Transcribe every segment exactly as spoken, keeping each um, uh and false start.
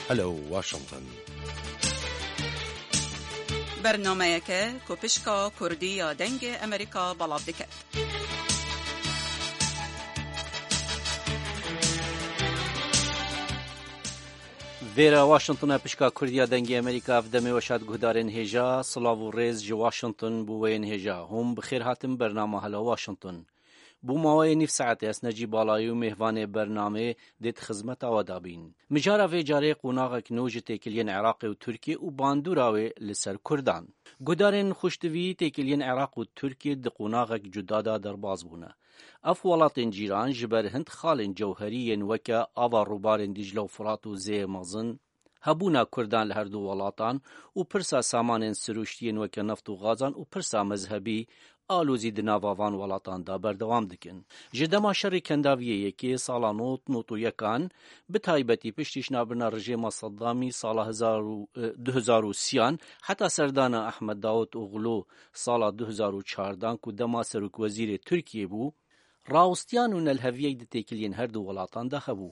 Hello Washington. Bernameyeke ku pişka Kurdî ya Dengê Amerîka belav dike. Vêra Washington e, pişka Kurdî ya Dengê Amerîka, ev demê weşa di guhdarên hêja, silav û rêz ji Washington bo weyên hêja. Hûn bi xêr hatin bernama Hello Washington. Bo maweyê nîv saetê ez Necî Balayî û mêvanê bernamê dê di xizmeta we de bîn. Mijara vê carê qonaxek nû ji têkiliyên Iraqê û Tirkiyê û bandora wê li ser Kurdan. Guhdarên xweştivî, têkiliyên Iraq û Tirkiyê di qonaxek cuda de derbas bûne. Ev welatên cîran ji ber hin xalên cewherî yên weke ava rûbarên Dîcle û Firat û zêyê mezin, hebûna Kurdan li her du welatan û pirsa samanên sirûştî yên weke neft û gazan û pirsa mezhebî alozî di nava van welatan de berdewam dikin. Ji dema şerê kendaviyê yekê sala nod nod û yekan, bi taybetî piştî şinabirina rejêma Seddamî sala hezar û, e, du hezar û sî an, heta serdana Ahmed Daud Oglu sala du hezar û çardan ku dema serokwezîrê Tirkiyê bû, rawestiyan û nelheviyek di têkiliyên her du welatan de hebû.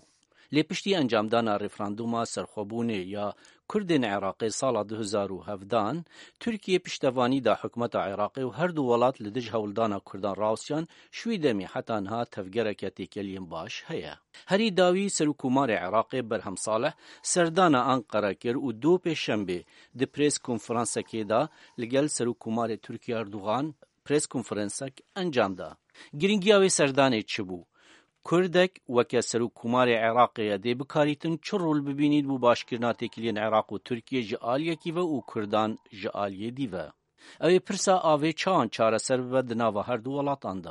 Lê piştî encamdana referanduma serxwebûnê ya Kurdên Iraqê sala du hezar û hevdan, Tirkiye piştevanî da hikûmeta Iraqê û her du welat li dij hewldana Kurdan rawestiyan, ji wî demî heta niha tevgereke têkeliyên baş heye. Herî dawî Serokkomarê Iraqê Berhem Salih serdana Anqara kir û dû pêşembê di prês konferansekê de li gel Serokkomarê Tirkiye Erdogan prês konferansek encam da. Girîngiya wê serdanê çi bû? Kurdek weke Serokkomarê Iraqê ye dê bikarîtin çi rol bibînît bo başkirina têkiliyên Iraq û Tirkiye ji aliyekî ve û Kurdan ji aliyê dî ve. Ew ê pirsa avê çawan çareser bibe di nava her du welatan de?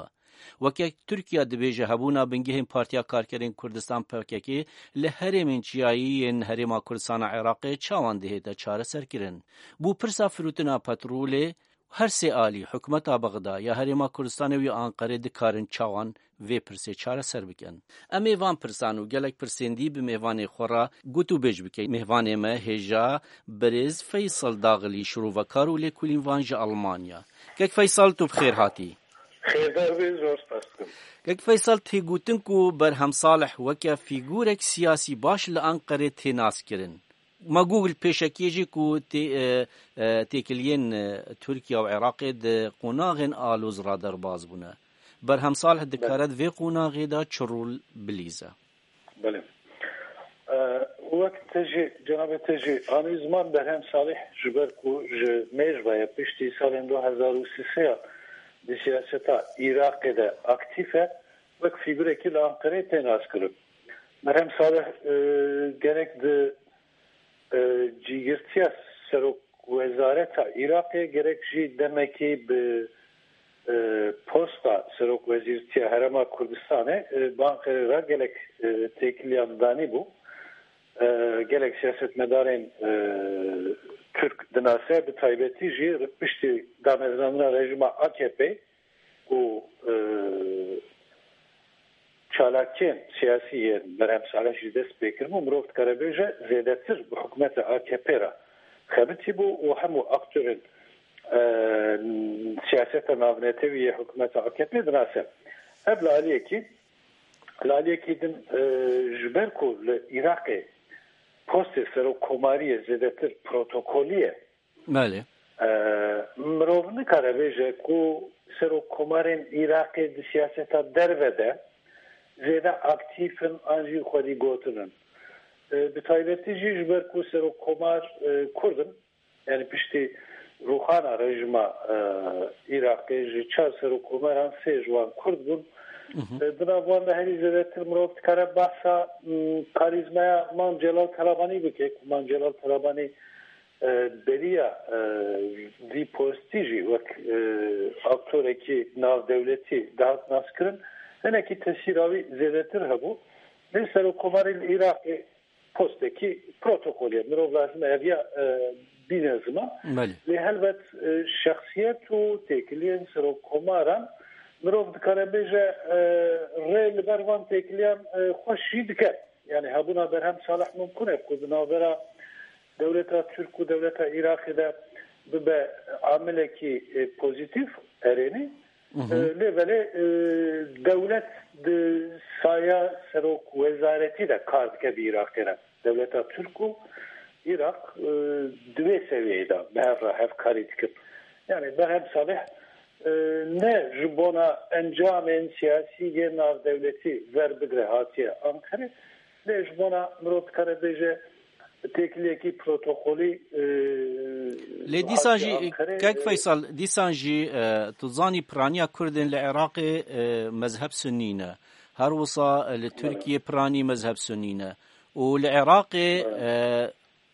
Weke Tirkiye dibêje hebûna bingehên Partiya Karkerên Kurdistan P K K li herêmên çiyayî yên Herêma Kurdistan a Iraqê çawan dihête çareserkirin? Bo pirsa firotina petrolê, her sê alî, hikûmeta Bexda ya Herêma Kurdistanê û ya Anqerê dikarin çawan vê pirsê çareser bikin? Em ê van pirsan û gelek pirsên dî bi mêvanê xwe re gotûbêj bikin. Mêvanê me hêja birêz Feysel Daxilî, şirovekar û lêkolînvan ji Almanya. Kek Feysel, tu bi xêr hatî. Xêrdar bî, zor spas dikim. Kek Feysel, tê gotin ku Berhem Salih weke fîgurek siyasî baş li Anqerê tê naskirin. Ma Google pêşekiyê jî ku tê-, e, e, têkiliyên, e, Tirkiye û Iraqê di qonaxên aloz re derbas bûne. Berhem Salih dikare di vê qonaxê de çi rol bilîze? Belê. E, wek te jî, cenabê te jî anî ziman, Berhem Salih ji ber ku ji mêj ve ye, piştî salên du hezar û sêzdehan di siyaseta Iraqê de aktîf e, wek fîgurekî li Anqerê tê naskirin. Berhem Salih, e, gerek di e, cîgirtiya serokwezareta Iraqê gerek jî demekî bi, e, posta serokwezîrtiya Herêma Kurdistanê, e, bi Anqerê re gelek, e, têkiliyan danîbû. E, gelek siyasetmedarên, e, Tirk dinase, bi taybetî jî piştî damezrandina rejîma A K P, û, e, çalakiyên siyasî yên Berhem Salih jî dest pê kiribû, mirov dikare bêje zêdetir bi hikûmeta A K P re xebitî bû û hemû aktorên, e, siyaseta navnetewî yê hikûmeta A K P dinase. Ev li aliyekî, li aliyekî din, e, ji ber ku li Iraqê postê serokkomariyê zêdetir protokolî ye, Belê. E, mirov nikare bêje ku serokkomarên Iraqê di siyaseta derve de zêde aktîf in an jî xwedî gotin in. E, bi taybetî jî ji ber ku serokkomar, e, Kurd in, yanî piştî rûxana rejîma, e, Iraqê ji çar serokkomaran sê ji wan Kurd bûn. Mhm. E, di nav wan de herî zêdetir mirov dikare behsa, m, karîzmaya Mam Celal Talabanî bike, ku Mam Celal Talabanî e, beriya, e, vî postî jî wek, e, aktorekî navdewletî dihat naskirin, hinekî tesîra wî zêdetir hebû. Lê serokkomarê li Iraqê postekî protokolê, mirov lazim e eviya, e, bîne ziman. Belê. Lê helbet, e, şexsiyet û têkiliyên serokkomaran mirov dikare bêje, e, rê li ber van têkiliyan, e, xweş jî dike. Yani hebûna Berhem Salih mumkun e ku di navbera dewleta Tirk û dewleta Iraqê de bibe amilekî, e, pozîtîf, erênî. Mhm. E, lê belê, e, dewlet di saya serok wezaretî de kar dike bi Iraqê re. Dewleta Tirk û Iraq, e, di vê sewiyeyê de bi hev re hevkarî dikin. Yani Berhem Salih, e, ne ji bona encamên siyasî yê navdewletî ver bigre hatiye Ankarê, lê ji bona mirov dikare bêje têkiliyekî protokolî, e, Lê dîsan hatiye jî, Ankarê, kek e, Feysal, dîsan jî, e, tu zanî piraniya Kurdên li Iraqê, e, mezheb Sunnî ne. Her wisa, e, li Tirkiyê piranî mezheb Sunnî ne. Û li Iraqê, e,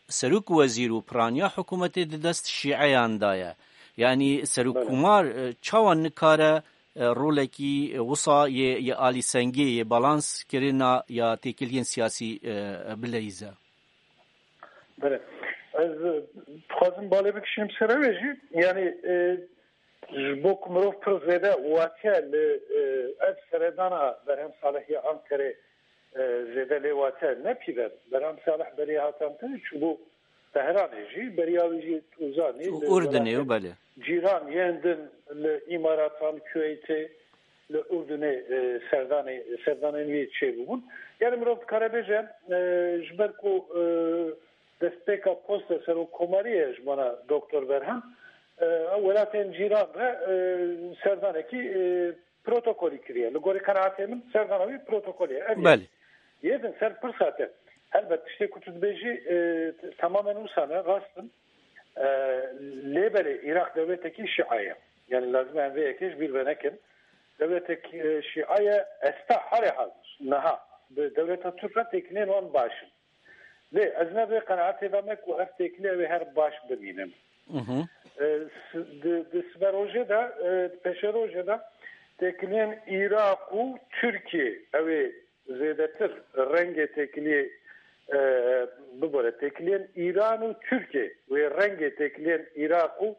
serok wezîr û piraniya hikûmetê di dest Şîeyan de ye. Yanî serokkomar, e, çawa nikare, e, rolekî, e, wisa yê, yê alîsengê, yê balans kirina ya têkiliyên siyasî, e, bileyze? Belê. Ez, e, dixwazim balê bikişînim ser ew ê jî. Yani, e, ji bo ku mirov pir zêde wate li, e, ev seredana Berhem Salih ya Ankarê, e, zêde lê wate nepîve. Berhem Salih berê hatan te çûbû Tehranê jî, beriya wî jî tu zanî, li Urdunê û welatên belê. Cîran yên din li Îmaratan, Kuweytê, li Urdunê, e, serdanê, serdanên wî çêbûbûn. Yani mirov dikare bêje, e, ji ber ku, e, destpêka posta serokkomariyê ji bona Doktor Berhem, e, ew welatên cîran re, e, serdanekî, e, protokolî kiriye. Li gorî qenaetê min serdana wî protokolî ye. Ev ye. Belê. Yê din ser pirsa te. Helbet tiştê ku tu dibêjî, e, t-, temamen wisa ne, rast in. E, lê belê Iraq dewletekî şia ye. Yani lazim e em vê yekê ji bîr venekin. Dewletek, e, şia ye, esta halê hazir. Niha bi dewleta Türk re têkiliyên wan baş in. Lê ez ne vê qenaetê de me ku ev têkilî ew ê her baş bibînin. Mhm. E, s-, di, di siberojê de, e, di pêşerojê de têkiliyên Iraq û Tirkiye ew ê zêdetir rengê têkiliyê, e, bibore. Têkiliyên Îran û Tirkiye wê rengê têkiliyên Iraq û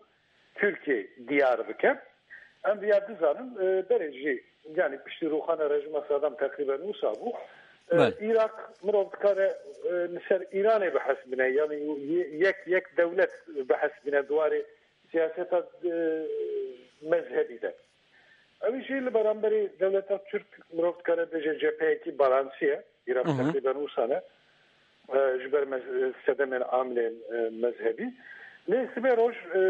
Tirkiye diyar bike. Em viya dizanin, e, berê jî, yani piştî rûxana rejîma Sedam teqrîben wisa bû. E, Belê. Îraq mirov dikare, e, li ser Îranê bihesibine, yani ye-, yek, yek dewlet bihesibine di warê siyaseta, e, mezhebî de. Ew jî li beramberî dewleta Tirk mirov dikare bêje cepheyekî balansî ye. Îraq Hı hı. teqrîben wisa ne. E, ji ber mez-, sedemên amilên, e, mezhebî. Lê sibê roj, e,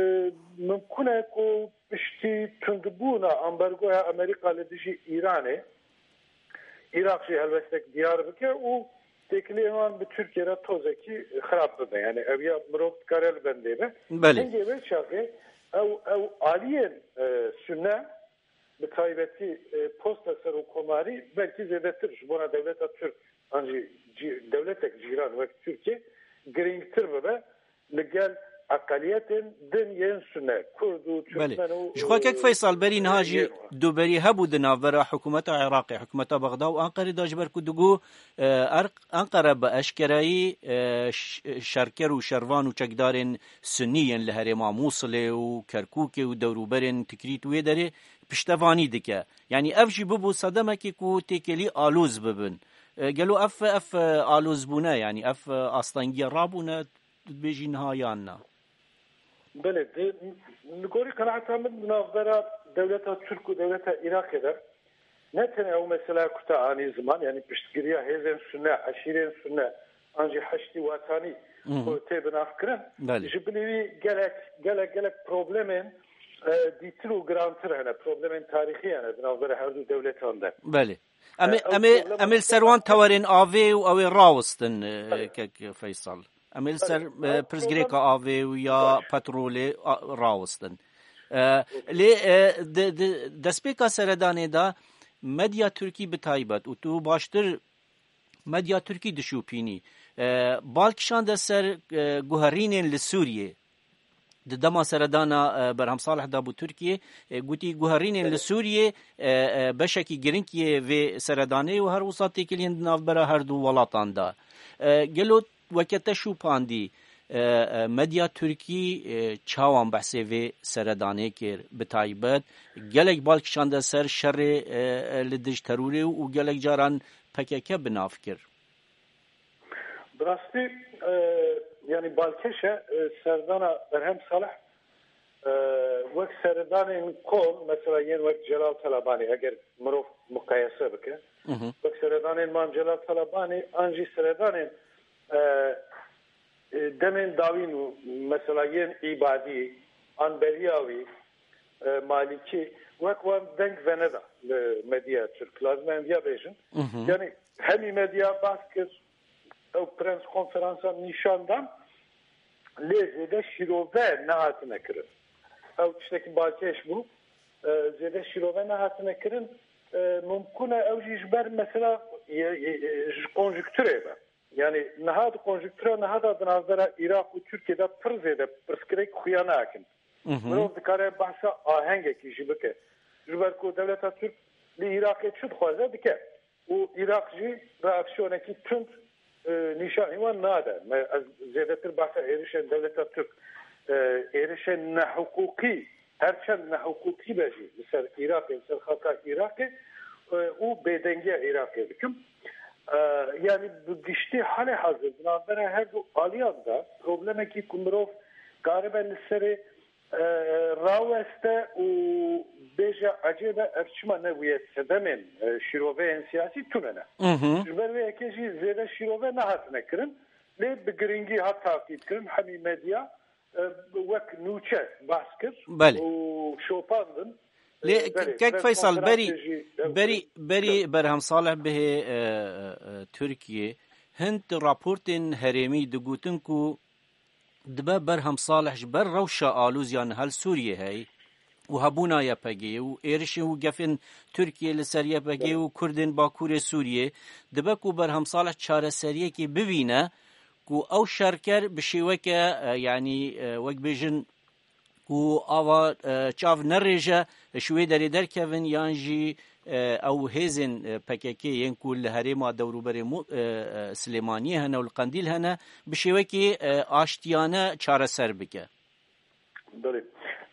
mimkun e ku piştî tundbûna ambergoya Amerîka li dijî Îranê, Îraq jî helwestek diyar bike û têkiliyên wan bi Tirkiye re tozekî xirab bibe. Yani ev ya mirov dikare li bendê be. Belê. Hingê vê çaxê ew, ew aliyên, e, Sunne, bi taybetî, e, posta serokkomarî belkî zêdetir ji bona dewleta Tirk an jî cî-, dewletek cîran wek Tirkiye girîngtir bibe li gel eqeliyetên din yên Sunne, Kurd û Belê. Tirkmen û, Ji xwe kek e, Feysal berî niha e, jî yên wan. Duberî hebû di navbera hikûmeta Iraqê, hikûmeta Bexda û Anqerê de ji ber ku digo, e, Erq-, Anqere bi eşkerayî, e, ş-, şerker û şervan û çekdarên Sunnî yên li herêma Mûsilê û Kerkûkê û dewrûberên Tikrît û wê derê piştevanî dike. Yanî ev jî bibû sedemekê ku têkilî aloz bibin. E, gelo ev, ev, e, alozbûne, yanî ev, e, astengiya rabûne, tu dibêjî niha yan na? Belê, di, li gorî qenaeta min di navbera dewleta Tirk û dewleta Iraqê de ne tenê ew mesela ku te anî ziman, yanî piştgiriya hêzên Sunne, eşîrên Sunne, an jî Heşdî Watanî Mhm. ku tê binavkirin, Belê. ji bilî wî gelek, gelek, gelek problemên, e, dîtir û girantir hene, problemên tarîxî hene di navbera her du dewletan de. Belê. Em ê, E, ew em ê, problema em ê li ser wan tewerên avê û ew ê rawestin, e, Belê. kek Feysal. Em ê li ser, Belê. e, Ew pirsgirêka problem avê û ya Baş. petrolê a, rawestin. E, lê, e, di, di destpêka seredanê de medya Tirkî bi taybet û tu baştir medya Tirkî dişopînî. E, bal kişande ser, e, guherînên li Sûriyê. Di dema seredana, e, Berhem Salih de bû Tirkiyê, e, gotî guherînên li Sûriyê, e, e, beşekî giring yê vê seredanê û her wisa têkiliyên di navbera her du welatan de. E, gelo weke te şûpandî, e, e, medya Tirkî, e, çawan behsê vê seredanê kir? Bi taybet gelek bal kişande ser şerê, e, e, li dij terorê û gelek caran P K K bi nav kir. Bi rastî, e, yanî balkêş e, e, serdana Berhem Salih E, wek seredanên kom, mesela yên wek Celal Talabanî, eger mirov muqayese bike, Hı hı. wek seredanên Mam Celal Talabanî, an jî seredanên, e, e, demên dawîn û mesela yên Îbadî, an beriya wî, e, Malîkî, wek wan deng veneda li medya Tirk. Lazim e em viya bêjin. Hı hı. Yani hemî medya bas kir, ew prens konferansan nîşan dan, lê zêde şîrove nehatine kirin. Ew tiştekî balkêş bû. E, zêde şîrove nehatine kirin. E, mumkun e ew jî ji ber mesela ye, ye, ye, ji konjukturê be. Yani niha di konjuktura niha de di navbera Iraq û Tirkiye de pir zêde pirsgirêk xuya nakin. Hı hı. Mirov dikare behsa ahengekî jî bike. Ji ber ku dewleta Tirk li Iraqê çi dixwaze dike. Û Iraq jî reaksiyonekî tund, e, nîşanî wan nade. Me, ez zêdetir behsa êrişên dewleta Tirk, e, êrişên nehiqûqî, her çend nehiqûqî be jî li ser Iraqê, li ser xaka Iraqê, e, û bêdengiya Iraqê dikim. E, yani bi giştî halê hazir di navbera her du aliyan de problemekî ku mirov karibe li serê e, raweste û bêje ecêbe ev çima nebûye sedemên, e, şîroveyên siyasî tune ne. Hı hı. Ji ber vê yekê jî zêde şîrove nehatine kirin, lê bi girîngî hat taqîb kirin hemî medya, e, wek nûçe behs kir Belê. û şopandin. Lê E, belê, Kek Feysal, berî, konferansê jî ew berî, berî Berhem Salih bihê, e, e, e, Tirkiyê, hin raportên herêmî digotin ku dibe Berhem Salih ji ber rewşa alûz ya niha li Sûriyê heye û hebûna Y P G'ê û êrişên û gefên Tirkiyê li ser Y P G û Kurdên Bakurê Sûriyê, dibe ku Berhem Salih çareseriyekê bibîne ku ew şerker bi şêweke, e, yanî, e, wek bêjin ku ava, e, çav nerêje, ji wê derê derkevin yan jî, e, ew hêzên, e, P K K yên ku li herêma dewrûberê Mu-, e, e, Silêmaniyê hene û li Qendîl hene, bi şêwekê, e, aştiyane çareser bike. Belê.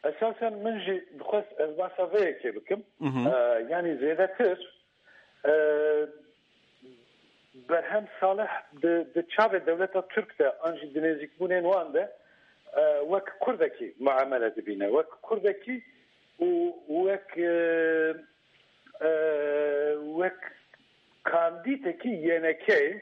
Esasen min jî dixwest ez behsa vê yekê bikim. Mhm. E, yanî zêdetir, e, Berhem Salih di, di çavê dewleta Tirk de an jî di nêzîkbûnên wan de, e, wek Kurdekî muamele dibîne. Wek Kurdekî û wek, e, e, wek kandîtekî Y N K'ê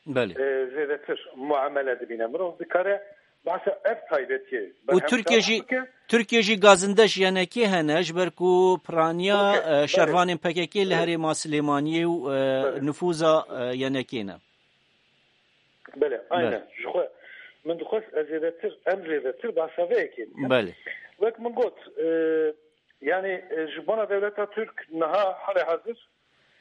Belê. e, zêdetir muamele dibîne. Mirov dikare behsa ev taybetiyê Û Berhem Tirkiye Salih jî, bike. Tirkiye jî gazinde ji Y N K'ê hene, ji ber ku piraniya, Okey, e, belê. şervanên P K K li Belê. herêma Silêmaniyê û, e, Belê. nifûza, e, Y N K'ê ne. Belê, aynen. Belê. Ji xwe min dixwest ez zêdetir, em zêdetir behsa vê yekê bikin. Belê. Wek min got, e, yani, e, ji bona dewleta Tirk niha halê hazir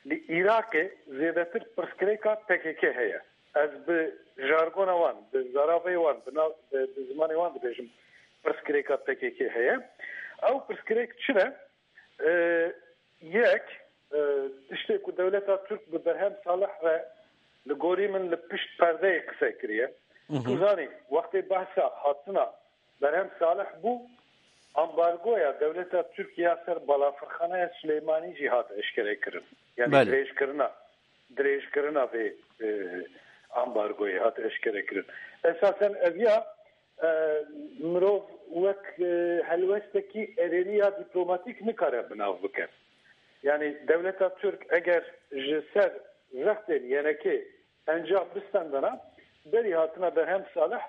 li Iraqê zêdetir pirsgirêka P K K heye. Ez bi jargona wan, bi zaravê wan, bi nav, bi, bi zimanê wan dibêjim pirsgirêka P K K heye. Ew pirsgirêk çi ne? E, yek, e, tiştê ku dewleta Tirk bi Berhem Salih re li gorî min li pişt perdeyê qise kiriye. Mhm. Tu zanî, wextê behsa hatina Berhem Salih bû, ambargoya dewleta Tirk ya ser balafirxaneya Silêmanî jî hat eşkere kirin. Yani Belê. dirêjkirina, dirêjkirina vê, e, ambargoyê hat eşkere kirin. Esasen ev ya, e, mirov wek, e, helwestekî erênî ya dîplomatîk nikare bi nav bike. Yani dewleta Tirk eger ji ser zextên Y N K'ê encam bistendana, berî hatina Berhem Salih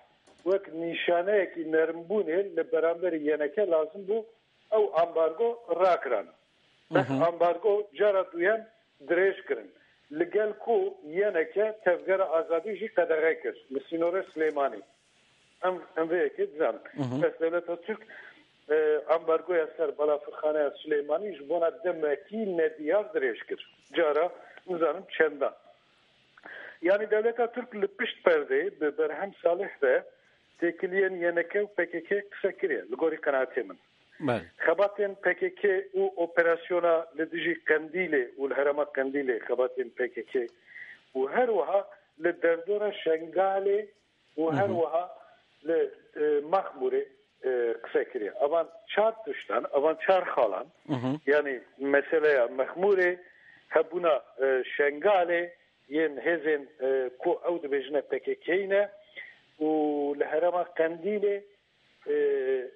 wek nîşaneyekî nermbûnê li beramberî Y N K lazim bû ew ambargo rakirana. Bes Mhm. ambargo cara duyem dirêj kirin. Li gel ku Y N K tevgera azadî jî qedexe kir li sînorê Silêmanî. Em, em vê yekê dizanin. Mhm. Bes dewleta Tirk, e, ambargoya ser balafirxaneya Silêmanî ji bona demekî nediyar dirêj kir. Cara nizanim çendan. Yani dewleta Tirk li pişt perdê bi Berhem Salih ve têkiliyên Y N K û P K K qise kiriye, li gorî qenaatê min. Belê. Xebatên P K K û operasyona li dijî Qendîlê û li herêma Qendîlê xebatên P K K û her wiha li derdora Şengalê û Hı hı. her wiha li, e, Mexmûrê, e, qise kiriye. Evan çar tiştan, evan çar xalan, Hı hı. yani meseleya Mexmûrê, hebûna, e, Şengalê, yên hêzên, e, ku ew dibêjine P K K ne û li herêma Qendîlê e,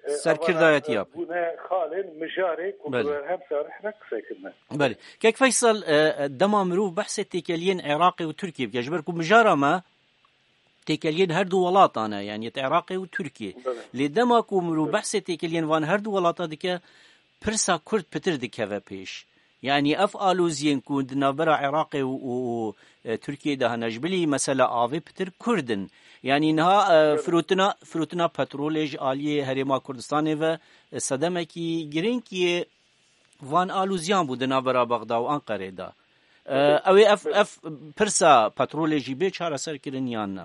e, Serkirdayetiya. Bûne xalên mijarê ku Belê. bi berhem sarih re qise kirine. Belê. Kek Feysel, e, e, dema mirov behsê têkeliyên Iraqê û Tirkiyê bike, ji ber ku mijara me têkeliyên her du welatan e, yanî yê Iraqê û Tirkiyê. Belê. Lê dema ku mirov Belê. behsê têkeliyên van her du welata dike, pirsa Kurd pitir dikeve pêş. Yanî ev aloziyên ku di navbera Iraqê û, û, û, e, Tirkiyê de hene, ji bilî mesela avê pitir Kurd in. Yanî niha, e, Belê. firotina, firotina petrolê ji aliyê Herêma Kurdistanê ve, e, sedemekî girîng yê van aloziyan bû di navbera Bexda û Anqerê de. E, Belê. ew ê ev, Belê. ev pirsa petrolê jî bê çareserkirin yan ne?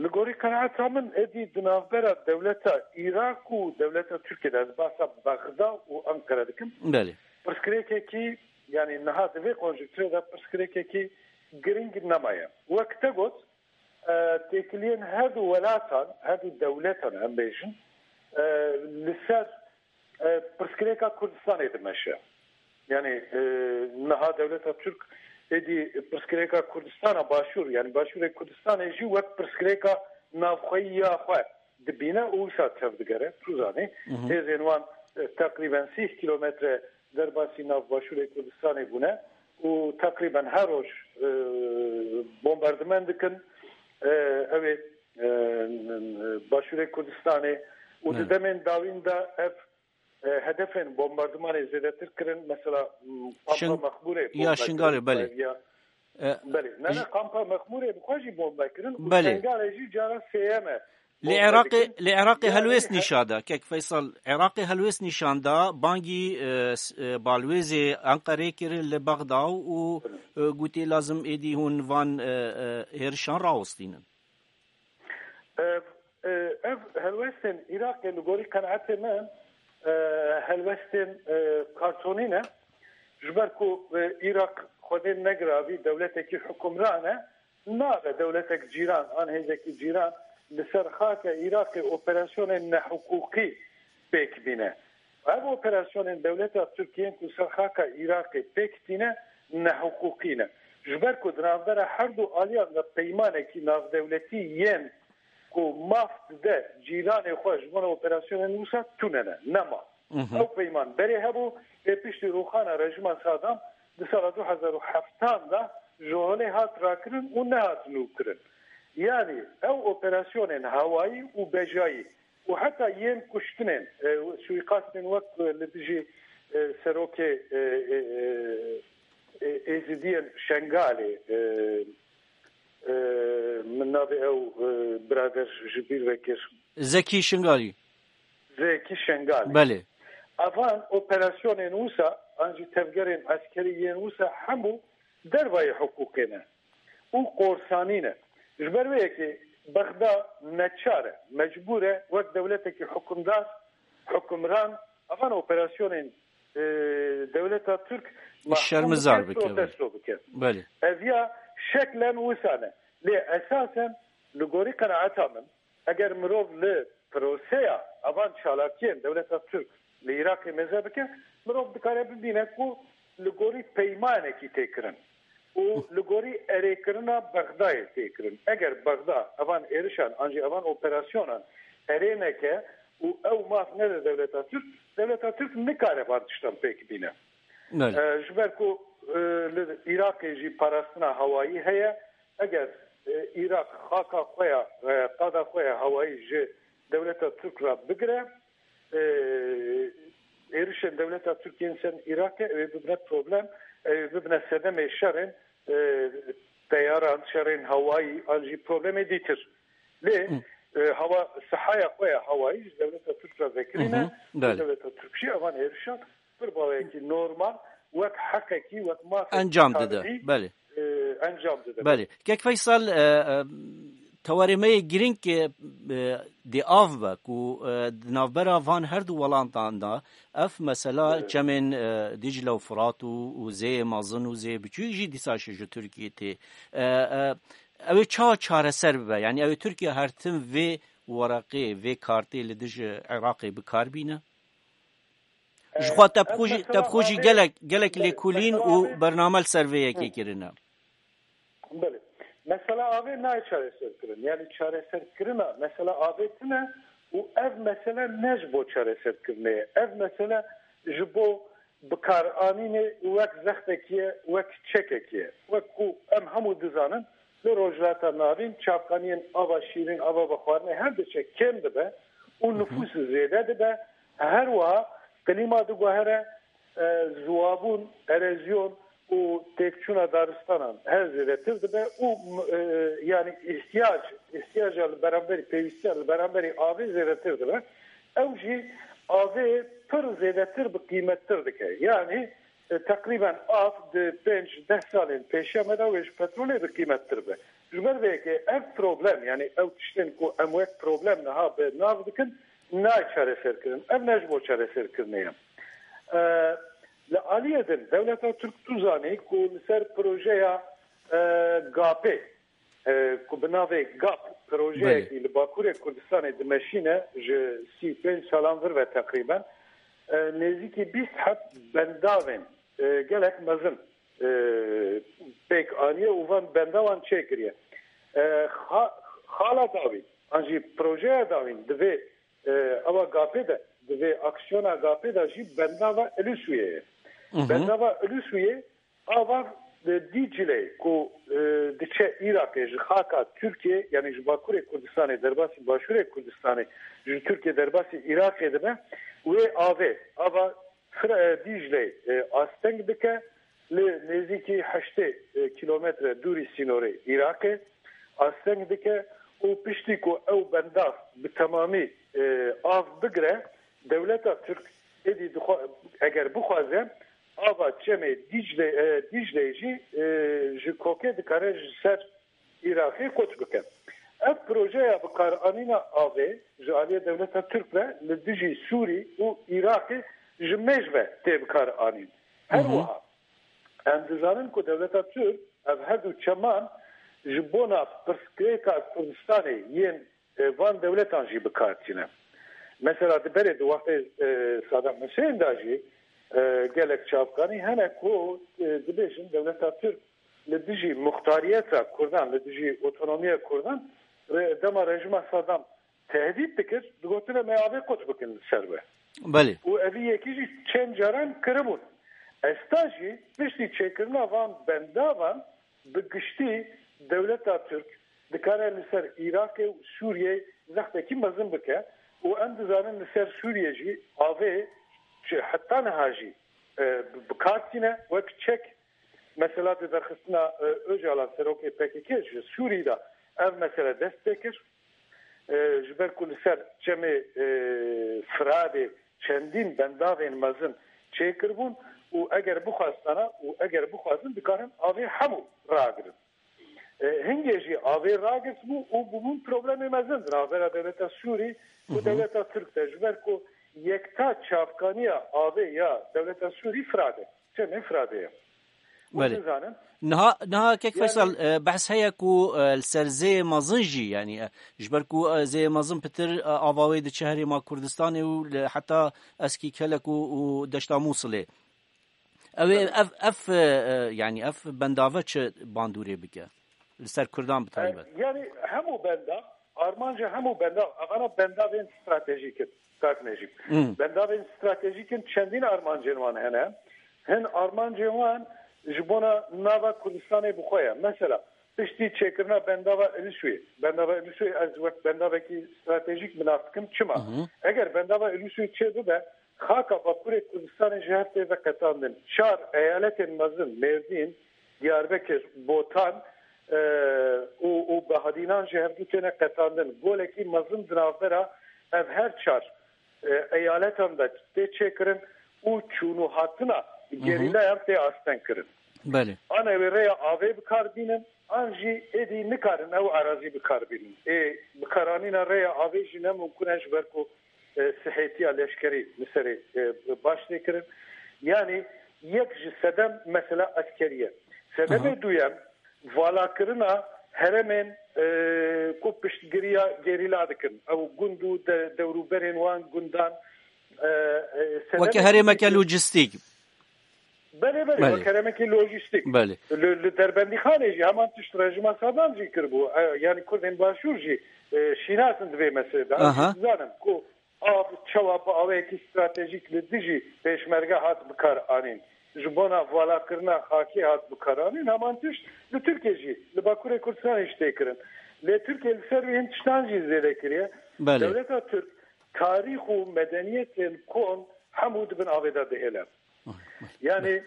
Li gorî qenaeta min, êdî di navbera dewleta Iraq û dewleta Tirkiyê de, ez behsa Bexda û Anqere dikim, Belê. pirsgirêkekî, yanî niha di vê konjonkturê de pirsgirêkekî girîng nemaye. Wek te got, e, têkiliyên her du welatan, her du dewletan em bêjin, e, li ser e, pirsgirêka Kurdistanê dimeşe. Yanî, e, niha dewleta Tirk êdî pirsgirêka Kurdistana Başûr, yanî Başûrê Kurdistanê jî wek pirsgirêka navxweyî ya xwe dibîne û wisa tevdigere. Tu zanî, Hı hı. hêzên wan, e, teqrîben sîh kîlometre derbasî nav Başûrê Kurdistanê bûne û teqrîben her roj, e, bombardiman dikin. E, ew ê, e, Başûrê Kurdistanê û di Evet. demên dawîn de ev e, hedefên bombardimanê zêdetir kirin, mesela, m, Kampa Şin-, Mexmûrê ya bombe Şingalê, kirin, belê. ya, E, belê. Ne, ne, j- Kampa Mexmûrê bi xwe jî bombe kirin û Belê. Şingalê jî cara sêyem e Li bombe Iraqê, dikin. li Iraqê Yani helwêst he- nîşa da, kek Feysel, Iraqê helwêst nîşan da, bangî, e, s-, e, balwêzê Enqerê kirin li Bexda û, e, gotê lazim êdî hûn van, e, e, hêrişan rawestînin. Ev, e, ev helwestên Iraqê li gorî qenaetê min, e, helwestên, e, kartonî ne. Ji ber ku, e, Iraq xwedê negiravî dewletekî hukimran e, nabe dewletek cîran an hêzekî cîran li ser xaka Iraqê operasyonên nehiqûqî pêk bîne. Ev operasyonên dewleta Tirkiyê ku ser xaka Iraqê pêk tîne, nehiqûqî ne. Ji ber ku di navbera her du aliyan de peymanekî navdewletî yên ku maf dide cîranê xwe ji bona operasyonên wisa tune ne, nema. Mhm. Ew peyman berê hebû, lê piştî rûxana rejîma Sadam di sala du hezar û heftan de ji holê hat rakirin û nehat nûkirin. Yanî ew operasyonên hewayî û bejayî û heta yên kuştinên, e, suîqastên wek, e, li dijî, e, serokê, e, e, e, e, Êzidiyên Şengalê, e, e, min navê ew, e, birader ji bîr vekir. Zekî Şingalî. Zekî Şengalî. Belê. Evan operasyonên wisa, an jî tevgerên eskerî yên wisa hemû dervayê hiqûqê ne û korsanî ne. Ji ber wê yekê Bexda neçar e, mecbûr e wek dewletekî hukimdar, hukimran, evan operasyonên, e, dewleta Tirk mahkûm Şermizar bike, bike, belê. protesto bike. Belê. Ev ya şeklen wisa ne. Lê esasen li gorî qenaeta min, eger mirov li proseya evan çalakiyên dewleta Tirk li Iraqê mêze bike, mirov dikare bibîne ku li gorî peymanekî tê kirin û li gorî erêkirina Bexdayê tê kirin. Eger Bexda evan êrişan an jî evan operasyonan erê neke û ew maf nede dewleta Tirk, dewleta Tirk nikare van tiştan pêk bîne. Belê. E, ji ber ku, e, li Iraqê jî parastina hewayî heye, eger, e, Iraq xaka xwe ya, e, qada xwe ya hewayî ji dewleta Tirk re bigire, e, êrişên dewleta Tirk yên ser Iraqê, ew ê bibine problem, ew ê bibine sedemê şerên, e, teyaran, şerên hewayî, an jî problemê dîtir. Lê, Hı. e, hewa, sihaya xwe ya hewayî ji dewleta Tirk re vekirî ne, Hı hı, belê. dewleta Tirk jî evan êrişan pir baweyekî normal, wek heqekî, wek mafekî Encam dide, tabiî, belê. e, encam dide. Belê. Kek Feysel, e, e, tewarê me yê girîng, e, e, di av be ku, e, di navbera van her du welatan de ev mesela Evet. çemên, e, Dicle û Firat û, û zêyê mezin û zêyê biçûk jî dîsa ji Tirkiyê tê. E, e, ew ê çawa çareser bibe? Yanî ew ê Tirkiye her tim vê wereqê, vê kartê li dij Iraqê bi kar bîne? Ji xwe te bi xwe jî, te bi xwe jî gelek, gelek lêkolîn û bername li ser vê yekê kirine. Belê. Mesela avê nayê çareserkirin. Yani çareserkirina mesela avê tune Û ev mesele ne ji bo çareserkirinê ye. Ev mesele ji bo bikaranînê wek zextekî ye, wek çekekî ye. Wek ku em hemû dizanin, li Rojhilata Navîn çavkaniyên ava şîrîn, ava vexwarinê her diçe kêm dibe û nifûs zêde dibe. Her wiha klîma diguhere, e, ziwabûn, erozyon û têkçûna daristanan her zêdetir dibe û, e, yanî îhtiyac, îhtiyaca li beramberî, pêwîstiya li beramberî avê zêdetir dibe. Ew jî avê pir zêdetir bi qîmettir dike. Yanî, e, teqrîben av di pênc deh salên pêşiya me de wê ji petrolê bi qîmettir be. Ji ber vê yekê ev problem, yanî ew tiştên ku em wek problem niha bi nav dikin, nayê çareserkirin. Ev ne ji bo çareserkirinê ye. E, li aliyê din, dewleta Tirk tu zanî ku li ser projeya, e, gapê, e, ku bi navê gap, projeyekî Belê. li Bakurê Kurdistanê dimeşîne, ji sî û pênc salan vir ve teqrîben, e, nêzîkî bîst heb bendavên, e, gelek mezin, e, pêk aniye û van bendavan çêkiriye. E, xa-, xala dawî, an jî projeya dawîn divê, e, ewa gapê de, divê aksiyona gapê de jî bendava Ilisuyê ye. Hı hı. Bendava Ilisuyê ava, e, Dîcleyê ku, e, diçe Iraqê ji xaka Tirkiyê, yanî ji Bakurê Kurdistanê, derbasî Başûrê Kurdistanê, ji Tirkiyê derbasî Iraqê dibe, wê avê, ava Fira-, e, Dîcleyê, e, asteng dike, li nêzîkî heştê, e, kîlometre dûrî sînorê Iraqê asteng dike û piştî ku ew bendav bi temamî, e, av bigire, dewleta Tirk êdî dixwa-, eger bixwaze, ava çemê Dîcle, e, Dîcleyê jî, e, ji kokê dikare ji ser Iraqê koç bike. Ev projeya bikaranîna avê ji aliyê dewleta Tirk ve li dijî Sûrî û Iraqê ji mêj ve tê bikaranîn. Her Hı hı. wiha em dizanin ku dewleta Tirk ev her du çeman ji bona pirsgirêka Kurdistanê yên, e, van dewletan jî bi kar tîne. Mesela di berê di wextê, e, Saddam Hussein de jî, e, gelek çavkanî hene ku, e, dibêjin dewleta Tirk li dijî muxtariyeta Kurdan, li dijî otonomiya Kurdan, re-, dema rejîma Saddam tehdît dikir, digotin em ê avê qut bikin li ser we. Belê. Û evî yekî jî çend caran kiribûn. Esta jî piştî çêkirina van bendavan bi giştî dewleta Tirk dikare li ser Iraqê û Sûriyeyê zextekî mezin bike û em dizanin li ser Sûriyê jî avê ji heta niha jî, e, bi, bi kar tîne wek çek. Mesela di derxistina, e, Ocalan, serokê P K K ji Sûrî de ev mesele dest pê kir. E, ji ber ku li ser çemê, e, Firadê çendîn bendavên mezin çêkiribûn û eger bixwestana û eger bixwazin dikarin avê hemû ragirin. E, hingê jî avê ragirtibû û bûbûn problemê mezin di navbera dewleta Sûrî û Hı hı. dewleta Tirk de, ji ber ku yekta çavkaniya avê ya dewleta Sûrî Firadê, çemê Firadê ye. Hûn Belê. dizanin? Niha, niha kek Yani Feysel, e, behs heye ku, e, li ser zêyê mezin jî, yani, e, ji ber ku, e, zêyê mezin pitir, e, ava wê diçe herêma Kurdistanê û li heta Eskî Kelek û, û Deşta Mûsilê. Ew ê Belê. ev, ev, e, e, yani, ev bendave çi bandorê bike? Li ser Kurdan bi taybet. E, yani, hemû benda, armanca hemû benda, evana bendavên stratejîk in. Kak Necîb. Hmm. Bendavên stratejîk in, çendîn armancên wan hene. Hin armancên wan ji bona nava Kurdistanê bi xwe ye. Mesela, piştî çêkirina bendava Ilîsuyê, bendava Ilîsuyê ez wek bendavekî stratejîk bi nav dikim. Çima? Hı hı. Eger bendava Ilîsuyê çêbibe, xaka Bakurê Kurdistanê ji hev tê veqetandin. Çar eyaletên mezin, Mêrdîn, Diyarbekir, Botan, e, û, û Behadînan ji hevdû têne qetandin. Golekî mezin di navbera ev her çar, e, eyaletan de tê çêkirin û çûnûhatina Hı hı. gerîlayan tê astengkirin. Belê. An ew ê rêya avê bi kar bînin, an jî êdî nikarin ew erazî bi kar bînin. Ê bikaranîna rêya avê jî ne mimkun e, ji ber ku, e, sihêtiya leşkerî li serê, e, baş tê kirin. Yanî yek ji sedem mesela eskerî ye. Sedemê Aha. duyem, valakirina herêmên, e, ku piştgiriya gerîla dikin. Ew gund û de-, dewrûberên wan gundan, e, e, sedemê Weke herêmeke duyem lojistîk. Belê, belê, Belê. Wek heremekî lojîstîk. Belê. Li, li Derbendîxanê jî heman tişt rejîma Sedam jî kiribû. E, yanî Kurdên Başûr jî, e, şînas in di vê meselê de. Aha. Em jî dizanin ku av çawa bi awayekî stratejîk li dijî pêşmerge hat bikaranîn. Ji bona valakirina xakê hat bikaranîn. Heman tişt li Tirkiye jî, li Bakurê Kurdistanê jî tê kirin. Lê Tirkiye li ser wê hin tiştan jî zêde kiriye. Belê. Dewleta Tirk tarîx û medeniyetên kon hemû di bin avê de dihêle. Yani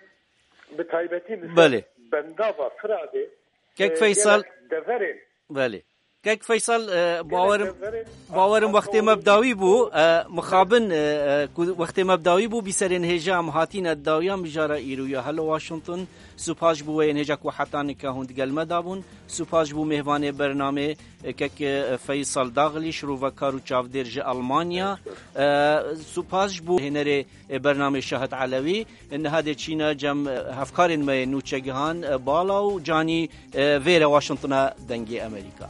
bi taybetî li ser Belê. Bendava Firadê, Kek e, Feysal. Gelek deverên Belê. Kek Feysal, e, bawerim, deverên bawerim wextê me bi dawî bû, e, mixabin, e, e, ku wextê me bi dawî bû, bîserên hêja em hatîne dawiya mijara îro ya. Hello Washington, supas ji bo wê yên hêja ku heta nika hûn digel me dabûn, supas ji bo mêvanê bernamê, e, kek, e, Feysal Daxlî, şirovekar û çavdêr ji Almanya, e, supas ji bo hênerê e, bernamê Şahid Elewî. Niha dê çîna cem, e, hevkarên me yê nûçegihan, e, Bala û Canî, e, vêre Washingtona Dengê Amerîka.